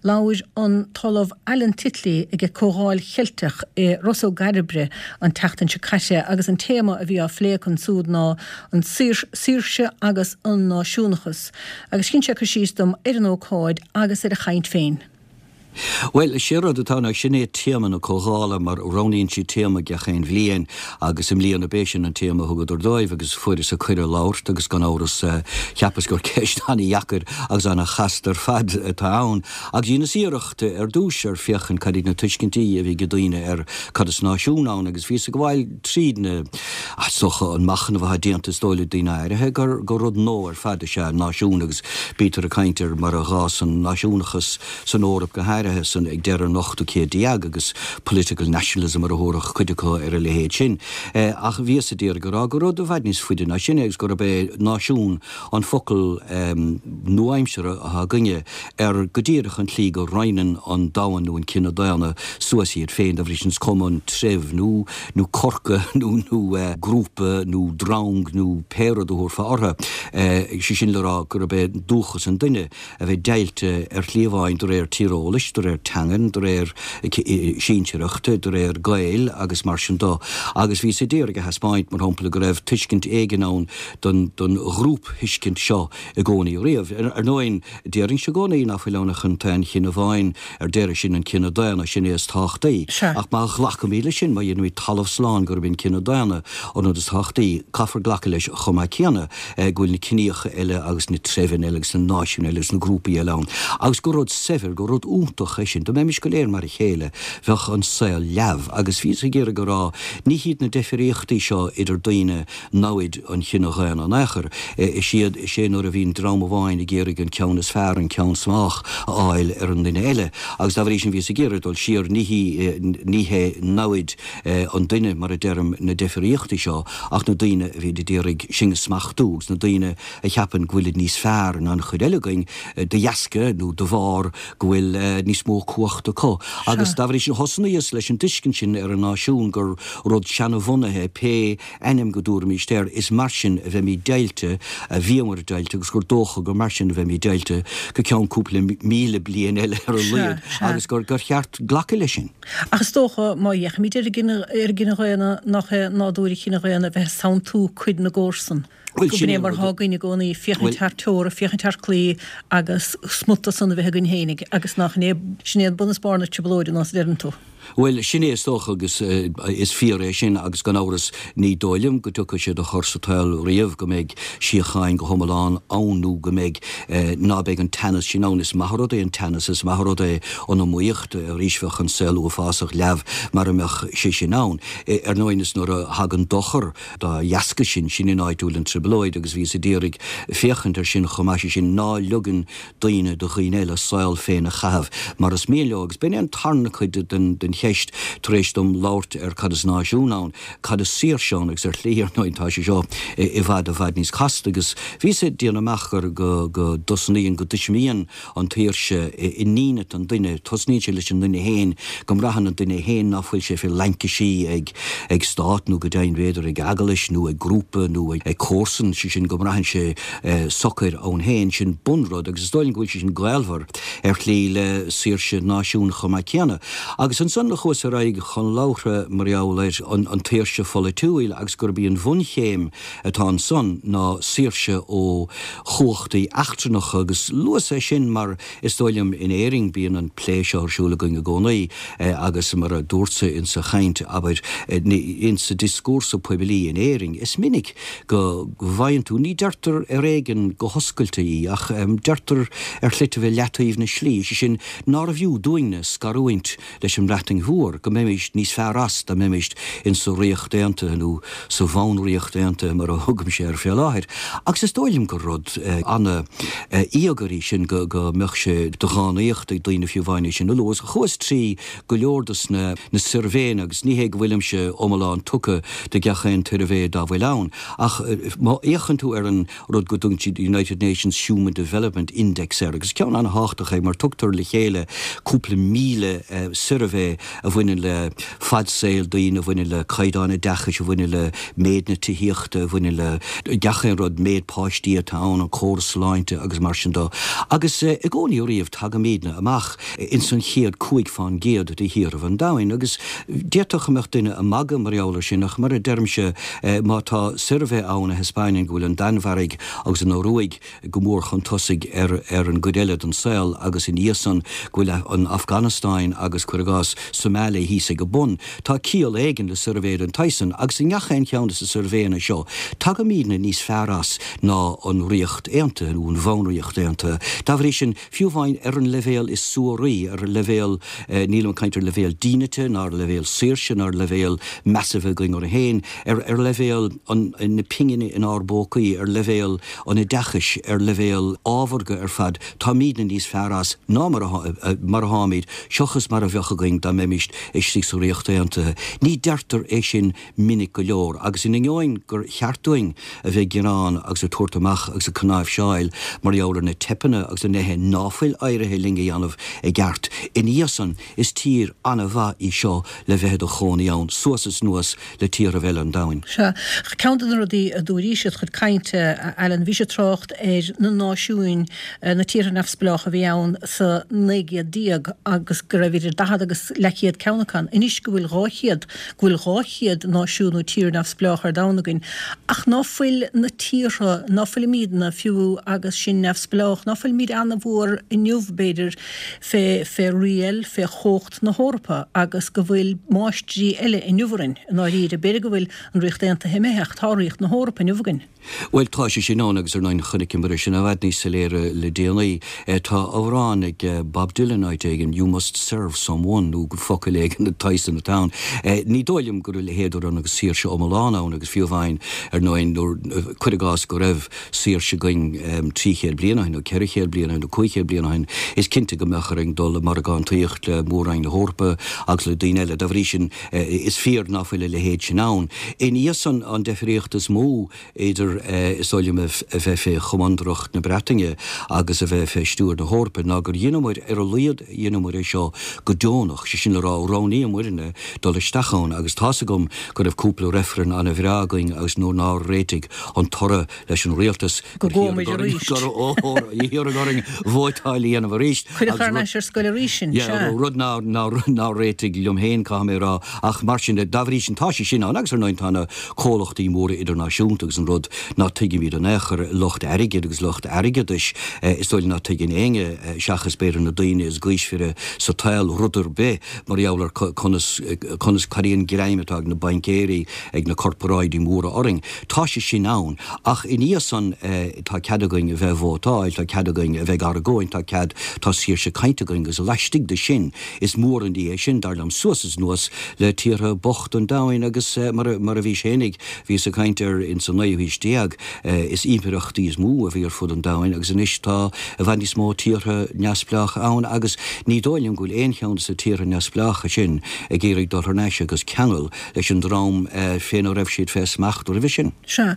Labhair an tOllamh Alan Titley ag Comhdháil Cheilteach i Ros Ó gCairbre an tseachtain seo caite agus an téama a bhí á phlé acu ansúd ná an saoirse agus an náisiúnachas. Agus dhein sé cur síos dom ar an ócáid agus ar a chaint féin. Bhuel, is é rud atá ann, sin é téama na comhdhála, mar roghnaíonn siad téama gach aon bhliain agus i mbliana b'é sin an téama a thugadar dóibh agus fuaireas-sa cuireadh labhairt agus gan amhras cheapas gur ceist an-dheacair agus an-chasta ar fad atá ann. Agus dheineas iarracht ar dtús ar féachaint cad iad na tuiscintí a bhí ag daoine ar cad is náisiún ann agus bhíos ag gabháil tríd na, is dócha, an machnamh atá déanta is dóigh le daoine áirithe gur rud nua ar fad is ea náisiún agus bítear ag caint ar mar a dh'fhás an náisiúnachas san Eoraip go háirithe, san ag deireadh an ochtú céad déag, agus political nationalism mar a thabharfadh cuid acu ar a leithéid sin. Ach bhíos ag iarraidh a rá gur rud i bhfad níos faide ná sin é agus gurb é náisiún an focal nua-aimseartha atá againne ar go díreach an tslí go roinneann an domhan nó an cine daonna suas iad féin, dá bhrí sin is cuma an treibh nó nó corca nó nó grúpa nó drong nó pé rud a thabharfá orthu. Sé sin le rá gurb é dúchas an duine. a bheith deighilte ar shlí amháin de réir tíreolais, de réir teangan, de réir sinsearachta, de réir gaoil agus mar sin de. Agus bhíos ag iarraidh a thaispeáint, mar shampla, go raibh tuiscint éigin ann don don ghrúpthuiscint seo i gcónaí riamh. Ar ndóigh, déarfainnse i gcónaí ná fuil ann ach an t-aon chine amháin ar deireadh, sin an cine daonna, sin é is tábhachtaí. Ach má ghlacaimid leis sin, má dhéanaimid talamh slán gurb é an cine daonna an rud is tábhachtaí, caithfear glacadh leis chomh maith céanna go bhfuil na ciníocha eile agus na treibheanna eile agus na náisiúin eile agus na grúpaí eile ann agus gur rud saibhir, gur rud iontach é sin. Dá mbeimis go léir mar a chéile, bheadh an saol leamh. Agus bhíos ag iarraidh a rá, ní hiad na deifríochtaí seo idir daoine namhaid an chine dhaonna in aon chor. Is iad, is é nuair a bhíonn dream amháin ag iarraidh an ceann is fearr, an ceann is mách a fháil ar an nduine eile. Agus dá bhrí sin bhíos ag iarraidh dul siar, ní hí, ní hé namhaid an duine, mar a deirim, na deifríochtaí seo, ach na daoine a bhíonn ag iarraidh sinn a smachtú agus na daoine a cheapann go bhfuilid níos fearr ná an chuid eile againn de dheasca nó de bharr go bhfuil níos mó cumhachta acu. Agus dá bhrí sin thosnaíos leis an dtuiscint sin ar an náisiún gur rud seanabhunaithe é pé ainm go dtabharfaimíst air, is mar sin a bheimid deighilte, a bhíomar deighilte agus gur dócha gur mar sin a bheimid deighilte go ceann cúpla míle bliain eile ar a laghad agus gur cheart glacadh leis sin. Ach is dócha, má fhéachaimid ar an gcine dhaonna, nach é nádúr an chine dhaonna a bheith ag santú cuid na gcomharsan. Gurb in é mar atá againn i gcónaí, féachaint thar teora, féachaint thar claí agus smut de san a bheith againn fhéinig, agus nach in é, sin é an bun is barr na trioblóide, ná a deireann tú. Bhuel, sin é is dócha agus is fíor é sin agus gan amhras ní dóigh liom go dtiocfaidh sé de chor sa tsaol riamh go mbeidh síocháin go hiomlán ann nó go mbeidh, ná beidh an teannas sin ann. Is maith an rud é an teannas, is maith an rud é an iomaíocht, arís bheadh an saol uafásach leamh mara mbeadh sé sin ann. Ar ndóigh is nuair a thagann dochar dá dheasca sin, sin an áit a bhfuil an trioblóid agus bhíos ag iarraidh féachaint ar sin chomh maith, sé sin ná ligeann daoine do dhaoine eile a saol féin a chaitheamh mar is mian leo. Agus b'in é an tarna cuid den cheist tar éis dom labhairt ar cad is náisiún ann, cad is saoirse ann agus ar shlí, ar ndóigh, tá sé seo i bhfad i bhfad níos casta agus bhíos ag déanamh amach gur go go dtosnaíonn, go dtuismíonn an tsaoirse i ndínit an duine, tosnaíonn sé leis an nduine féin, go mbraitheann an duine féin ná fuil sé fé laincisí ag ag stát nó go deimhin b'fhéidir ag eaglais nó ag grúpa nó ag comharsan, sé sin go mbraitheann sé socair ann féin, sin bunrud agus is dóigh liom go bhfuil sé sin gaolmhar ar shlí le saoirse náisiún chomh maith céanna. Agus ansan chuas ar aghaidh chun labhartha mar gheall ar an tsaoirse pholaitiúil agus gurb í an bhunchéim atá ansan ná saoirse ó chumhachtaí eachtrannacha agus luas é sin mar is dóigh liom in Éirinn bíonn an plé seo ar siúl againn i gcónaí agus mar a dúrtsa insa chaint, abair, insa dioscúrsa poiblí in Éirinn is minic go bhfaigheann tú, ní deirtear ar éigean go hoscailte í ach deirtear ar shlite i leataobh na slí, sé sin, nárbh fhiú dúinne scarúint leis an mBreatain Mhór, go mbeimis níos fearr as dá mbeimis insa Ríocht Aontaithe nó sa Bhanríocht Aontaithe mar a thugaimse air fé láthair. Agus is dóigh liom gur rud ana-íogair í sin go mbeadh sé de dhánaíocht ag daoine fiú amháin é sin a lua. Chuas trí go leor dos na suirbhéanna agus ní hé go bhfuilimse iomlán tugtha do gach aon tsuirbhé dá bhfuil ann ach má fhéachann tú ar an rud go dtugann siad United Nations Human Development Index air agus ceann an-thábhachtach é mar tugtar le chéile cúpla míle suirbhé. a bhaineann le fad saoil daoine, a bhaineann le caighdeán oideachais, a bhaineann le méid na tithíochta, a bhaineann le gach aon rud, méid páistí atá ann, an córas sláinte agus mar sin de. Agus i gcónaí ariamh tagaimídne amach ins an chéad 5 fán gcéad de thíorthaibh an domhain agus d'fhéadfadh go mbeadh duine ag magadh mar gheall ar sin ach mar a deirimse má tá suirbhé ann a thaispeáineann go bhfuil an Danmhairg agus an Ioruaidh go mór chun tosaigh ar ar an gcuid eile den saol agus ina dhiaidh san go bhfuil an Afganastáin agus, cuir i gcás, Somalia thíos ag an bun. Tá ciall éigin le suirbhé den tsaghas san agus i ngach aon cheann de na suirbhéanna seo tagaimídne níos fearr as ná an Ríocht Aontaithe nó an Bhunríocht Aontaithe. Dá bhrí sin, fiú amháin ar an leibhéal is suaraí, ar an leibhéal, nílim ag caint ar leibhéal dínite ná ar leibhéal saoirse ná ar leibhéal meas a bheith againn orainn féin, ar ar leibhéal an na pingine inár bpócaí, ar leibhéal an oideachais, ar leibhéal ábharga ar fad, táimídne níos fearr as ná mar a mar atáimid, seochas mar a bheadh againn dá mbeimíst istigh sa Ríocht Aontaithe. Ní deirtear é sin minic go leor, agus in ainneoin gur cheart dúinn a bheith ag gearán agus ag tabhairt amach agus ag cnáimhseáil mar gheall ar na teipeanna agus na nithe ná fuil éirithe linn a dhéanamh i gceart, ina dhiaidh san, is tír an-mhaith í seo le bheith i do chónaí ann, suas is anuas le tíorthaibh eile an domhain. Sea. Ceann de na rudaí a dúraís id chuid cainte, a Alan, bhís ag trácht ar na náisiúin, na tíortha neamhspleácha a bhí ann sa naoi gcéad déag agus go raibh idir 40 agus leathchéad ceann acu ann. Anois go bhfuil 200, go bhfuil 200 náisiún nó tír neamhspleách ar domhan againn. Ach ná fuil na tíortha, ná fuilimídne, fiú agus sinn neamhspleách, ná fuilimíd ana-mhór inniu, b'fhéidir, fé, fé riail, fé chumhacht na hEorpa agus go bhfuil máistrí eile inniu orainn, i ndáiríre. B'fhéidir go bhfuil an Ríocht Aontaithe imithe ach tá Ríocht na hEorpa inniu againn. Bhuel, tá sé sin ann agus ar ndóigh chonaiceamar é sin i bhfad níos soiléire le déanaí. Tá amhrán ag Bob Dylan áit éigin, You must serve someone nó focal éigin den tsaghas san atá ann. Ní dóigh liom go raibh a leithéid de rud agus saoirse iomlán ann agus fiú amháin ar ndóigh nuair, cuir i gcás go raibh saoirse againn 300 bliain ó shin nó 400 bliain ó shin nó 500 bliain ó shin, is cinnte go mbeadh orainn dul i margántaíocht le Mór-Roinn na hEorpa agus le daoine eile. Dá bhrí sin, Is fíor ná fuil a leithéid sin ann. Ina dhiaidh san, an deifríocht is mó idir, is dóigh liom, a bheith fé chomandaireacht na Breataine agus a bheith fé stiúir na hEorpa ná gur dheineamair, ar a laghad dheineamair é seo go deonach, sé sin le rá, roghnaíomairne dul isteach ann agus tá's agam go raibh cúpla reifreann ana-bhreá againn agus nuair nár réitigh an toradh leis an rialtas, Go gcuamair arís. Gur iarradh orainn vótáil a dhéanamh arís. Cuireadh thar n-ais ar scoil arís sinn, sea. Rud nár réitigh liom féin, caithfidh mé a rá. Ach mar sin de, dá bhrí sin, tá sé sin ann agus ar ndóigh tá na comhlachtaí móra idirnáisiúnta agus an rud ná tuigimid in aon chor, lucht airgid agus lucht airgeadais, is dóigh liom ná tuigeann éinne, seachas b'fhéidir na daoine is gaoismhire sa tsaol, rud ar bith mar gheall ar conas, conas, cad é an greim atá ag na baincéirí, ag na corparáidí móra orainn. Tá sé sin ann, ach ina dhiaidh san tá cead againn a bheith ag vótáil, tá cead againn a bheith ag argóint, tá cead, tá saoirse cainte againn agus laistigh de sin, is mór an ní é sin, dar liom, suas is anuas le tíortha bochta an domhain agus mar a, mar a bhís fhéinig, bhíos ag caint air ins an naoú haois déag, is impireachtaí is mó a bhí ar fud an domhain agus anois tá i bhfad níos mó tíortha neamhspleácha ann agus ní dóigh liom go bhfuil aon cheann de na tíortha neamhspleácha sin ag iarraidh dul thar n-ais agus ceangal leis an dream féna raibh siad fé smacht roimhe sin. Sea.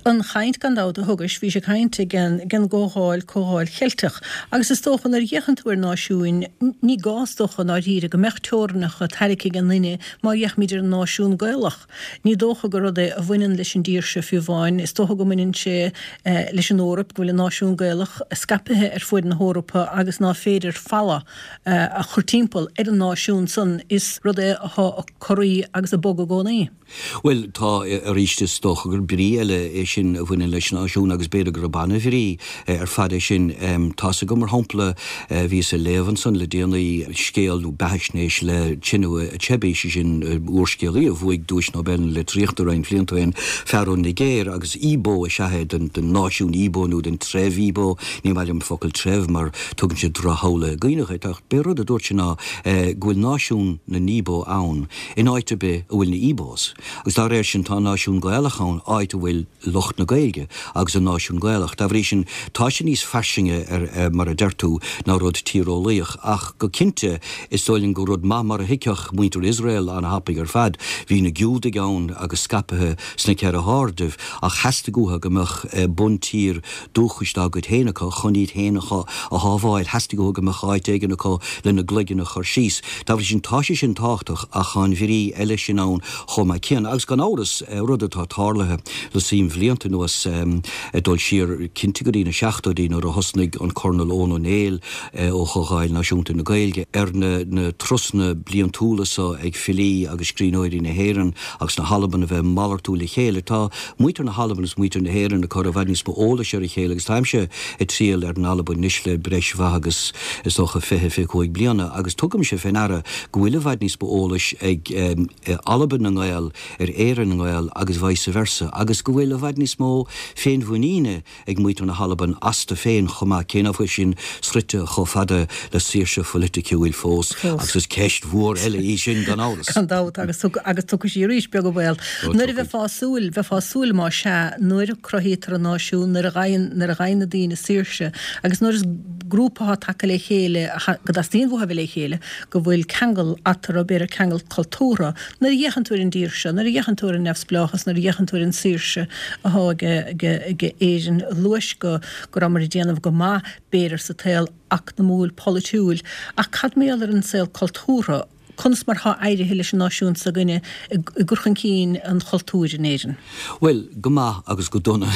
An chaint, gan dabht, a thugais, bhís ag caint ag an gComhdháil, Comhdháil Cheilteach. Agus is dócha, nuair a fhéachann tú ar náisiúin, ní gá, is dócha, i ndáiríre, go mbeadh teorainneacha tarraicthe ag aon duine má fhéachaimid ar an náisiún Gaelach. Ní dócha gur rud é a bhaineann leis an dtír seo fiú amháin. Is dócha go mbaineann sé leis an Eoraip, go bhfuil an náisiún Gaelach scaipthe ar fuaid na hEorpa agus ná féidir falla a chur timpeall ar an náisiún san. Is rud é atá ag corraí agus ag bogadh i gcónaí. Bhuel, tá, arís, is dócha gur brí eile é sin a bhaineann leis an náisiún agus b'fhéidir gurb ana-bhrí ar fad é sin. Tá's agam, mar shampla, bhíos ag léamh ansan le déanaí scéal nó beathaisnéis le Chinua Achebe, sé sin úrscéalaí a bhuaigh Duais Nobel na Litríochta roinnt blianta ó shin, fear ón Nigéir agus Igbo is ea é, den náisiún Igbo nó den treibh Igbo, ní maith liom an focal treibh mar tugann sé drochshamhla i gcuimhne dhuit, ach b'é rud a dúirt sé ná go bhfuil náisiún na nIbo ann in áit ar bith a bhfuil na Ibos, agus dá réir sin tá náisiún Gaelach ann áit a bhfuil lucht na Gaeilge agus an náisiún Gaelach. Dá bhrí sin tá sé níos fairsinge ar mar a deir tú ná rud tíreolaíoch, ach go cinnte is dóigh liom gur rud maith mar a thuigfeadh muintir Iosrael ana-thapaidh ar fad, bhí na Giúdaigh ann agus scaipthe sna ceithre hairde ach theastaigh uathu go mbeadh buntír dúchais dá gcuid féin acu chun iad féin a shábháil. Theastaigh uathu go mbeadh áit éigin acu lena gcloigeann a chur síos. Dá bhrí sin, tá sé sin tábhachtach ach tá an bhrí eile sin ann chomh maith céanna. Agus gan amhras, rud atá tarlaithe le suim bhlianta anuas, ag dul siar cinnte go dtí na seachtóidí nuair a thosnaigh an Colonel Eoin Ó Néill ó Chomhdháil Náisiúnta na Gaeilge ar na turasanna bliantúla so ag filí agus scríbhneoirí na hÉireann agus na hAlban a bheith ag malartú le chéile. Tá muintir na hAlban agus muintir na hÉireann ag cur i bhfad níos mó eolais ar a chéile agus táimse ag triall ar an Albain anois le breis mhaith agus is dócha 20, 25 bliana agus tugaimse fé ndeara go bhfuil i bhfad níos mó eolais ag Albain na nGael ar Éirinn na nGael agus vice versa agus go bhfuil i bhfad níos mó féinmhuiníne ag muintir na hAlban astu féin chomh maith, cé nach bhfuil sin sroichte chomh fada le saoirse pholaiticiúil fós, agus is ceist mhór eile í sin, gan amhras. Gan dabht, agus agus tiocfaidh sí arís, beag an baol. Nuair a bheifeá ag súil, bheifeá ag súil más ea, nuair a cruthaítear an náisiún, nuair a ghaibheann, nuair a ghaibheann na daoine saoirse, agus nuair is grúpa atá tagtha le chéile, go dteastaíonn uathu a bheith le chéile, go bhfuil ceangal eatarthu, b'fhéidir ceangal cultúrtha. Nuair a fhéachann tú ar an dtír seo, nuair a fhéachann tú ar an neamhspleáchas, nuair a fhéachann tú ar an saoirse atá ag Éirinn, luais go go rabhamar ag déanamh go maith, b'fhéidir, sa tsaol eacnamúil, polaitiúil, ach cad mar gheall ar an saol cultúrtha? Conas mar atá éirithe leis an náisiún s'againne i gcur chun cinn an chultúir in Éirinn? Bhuel, go maith agus go dona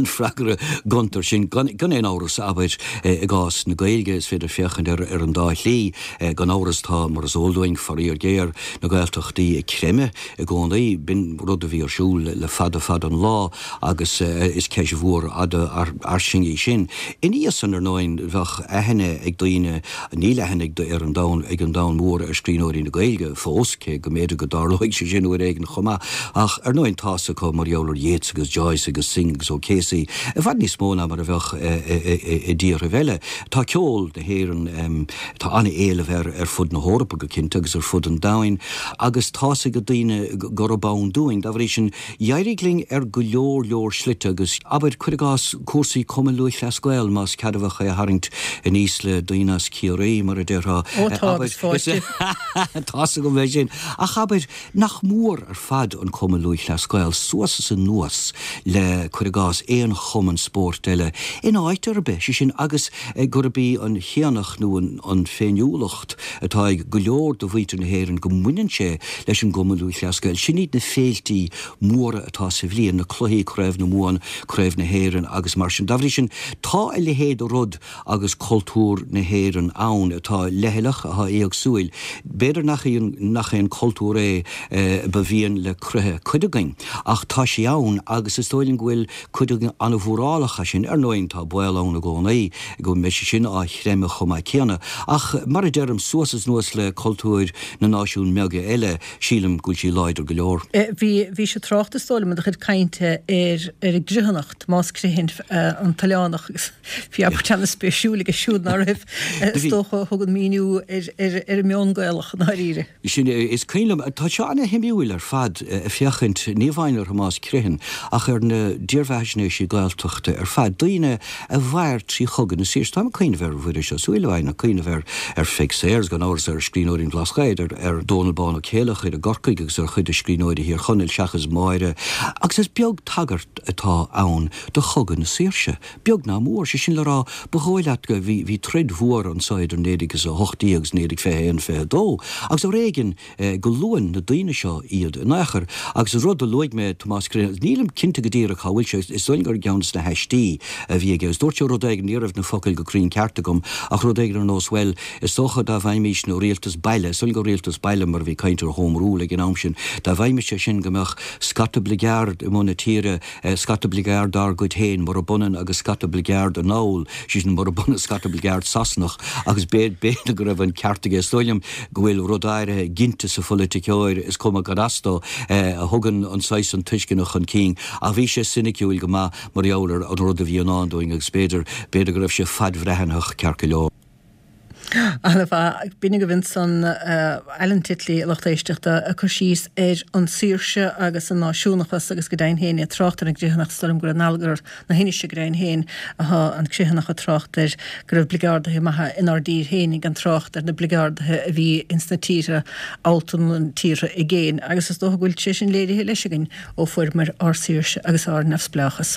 an freagra gonta air sin. Gan aon amhras, abair, i gcás na Gaeilge, is féidir féachaint air ar an dá shlí. Gan amhras tá, mar is eol dúinn, faraor géar, na Gaeltachtaí ag creimeadh i gcónaí. B'in rud a bhí ar siúl le fada fada an lá agus is ceist mhór fhada fhairsing í sin. Ina dhiaidh san, ar ndóigh, bheadh aithne ag daoine, níl aithne ag ar an domhan, ag an domhan mór ar scríbhneoirí na Gaeilge fós, cé go mb'fhéidir go dtarlóidh sé sin uair éigin chomh maith. Ach ar ndóigh tá 's acu mar gheall ar Yeats agus Joyce agus Synge agus O'Casey i bhfad níos mó ná mar a bheadh i dtíorthaibh eile. Tá ceol na hÉireann, tá an-éileamh air ar fud na hEorpa go cinnte agus ar fud an domhain agus tá's ag daoine gurb ann dúinn. Dá bhrí sin, d'éirigh linn ar go leor leor slite agus, abair, cuir i gcás, cúrsaí Cumann Lúthchleas Gael, más ceadmhach é a tharraingt aníos le daoine as Ciarraí, mar a déarfá. Ó tá, agus fáilte. Tá's agam é sin. Ach abair, Nach mór ar fad an Cumann Lúthchleas Gael suas is anuas le, cuir i gcás, aon chumann spóirt eile in áit ar bith, sé sin agus gurb í an chéannacht nó an féiniúlacht atá ag go leor de mhuintir na hÉireann go mbaineann sé leis an gCumann Lúthchleas Gael. Sin iad na féiltí móra atá sa bhliain, na cluichí Craobh na Mumhan, Craobh na hÉireann agus mar sin. Dá bhrí sin, tá a leithéid de rud agus cultúr na hÉireann ann atá leithleach, atá éagsúil. B'fhéidir nach é nach é an cultúr é ba mhian le croíthe cuid againn, ach tá sé ann agus is dóigh liom go bhfuil cuid againn an-mhórálach as sin. Ar ndóigh, tá baol ann i gcónaí go mbeidh sé sin á chreimeadh chomh maith céanna, ach mar a deirim, suas is anuas le cultúir na náisiún mbeaga eile, sílim go bhfuil sí láidir go leor. Bhí, bhí sé trácht is dóigh liom i do chuid cainte ar, ar an gcruithneacht, más crithin an t-oileánach agus bhí abairt an-spéisiúil aige siúd ná raibh, is dócha, a thugann míniú ar, ar, ar an meon Gaelach i ndáiríre. Sin é, is cuimhin liom, tá seo ana-shuimiúil ar fad, ag féachaint, ní amháin ar Thomás Criomhthain, ach ar na dírbheathaisnéisí Gaeltachta ar fad, daoine a mhair trí Chogadh na Saoirse. Táim ag cuimhneamh ar Mhuiris Ó Súilleabháin, ag cuimhneamh ar ar Pheig Sayers, gan amhras, ar scríbhneoirí an Bhlascaoid, ar ar Dónall Bán Ó Céilleachair i gCorcaigh agus ar chuid de scríbhneoirí Thír Chonaill seachas Máire. Agus is beag tagairt atá ann do Chogadh na Saoirse, beag ná mór. Sé sin le rá, ba dhóigh leat go, bhí bhí troid mhór anso idir 1918 agus 1921, 22 agus ar éigean go luann na daoine seo iad in aon chor. Agus an rud a luaigh mé, Tomás Criomhthain, nílim cinnte go díreach cá bhfuil sé, is dóigh liom gur i gceann de na haistí a bhí aige, agus dúirt sé rud éigin, ní raibh na focail go cruinn ceart agam, ach rud éigin ar nós, bhuel, is dócha dá bhfaighimísne rialtas baile, is dóigh liom gur rialtas baile mar a bhí caint ar Home Rule ag an am sin, dá bhfaighimís é sin go mbeadh scata bligeard i mbun na tíre, Scata bligeard dár gcuid féin, murab ionann agus scata bligeard anall, sé sin, murab ionann scata bligeard Sasanach, agus b'fhéidir go raibh an ceart aige. Is dóigh liom go bhfuil rud áirithe ginte sa pholaiticeoir, is cuma cad as dó, a thugann an saghas san tuisceana chun cinn. Ach bhí sé soiniciúil go maith mar gheall ar an rud a bhí i ndán dúinn agus b'fhéidir, b'fhéidir go raibh sé fadbhreathnaitheach ceart go leor. Ana-mhaith. B'in agaibh ansan Alan Titley, a lucht éisteachta, ag cur síos ar an saoirse agus an náisiúnachas agus go deimhin féin é ag trácht ar an gCruithneacht. Is dóigh liom gur in Allagar na hInise go deimhin féin atá an Criomhthanach ag trácht air go raibh bligeardaithe maithe inár dtír féin gan trácht ar na bligeardaithe a bhí ins na tíortha allta na tíortha i gcéin agus is dócha go bhfuil sé sin léirithe leis againn ó fuaireamar ár saoirse agus ár neamhspleáchas.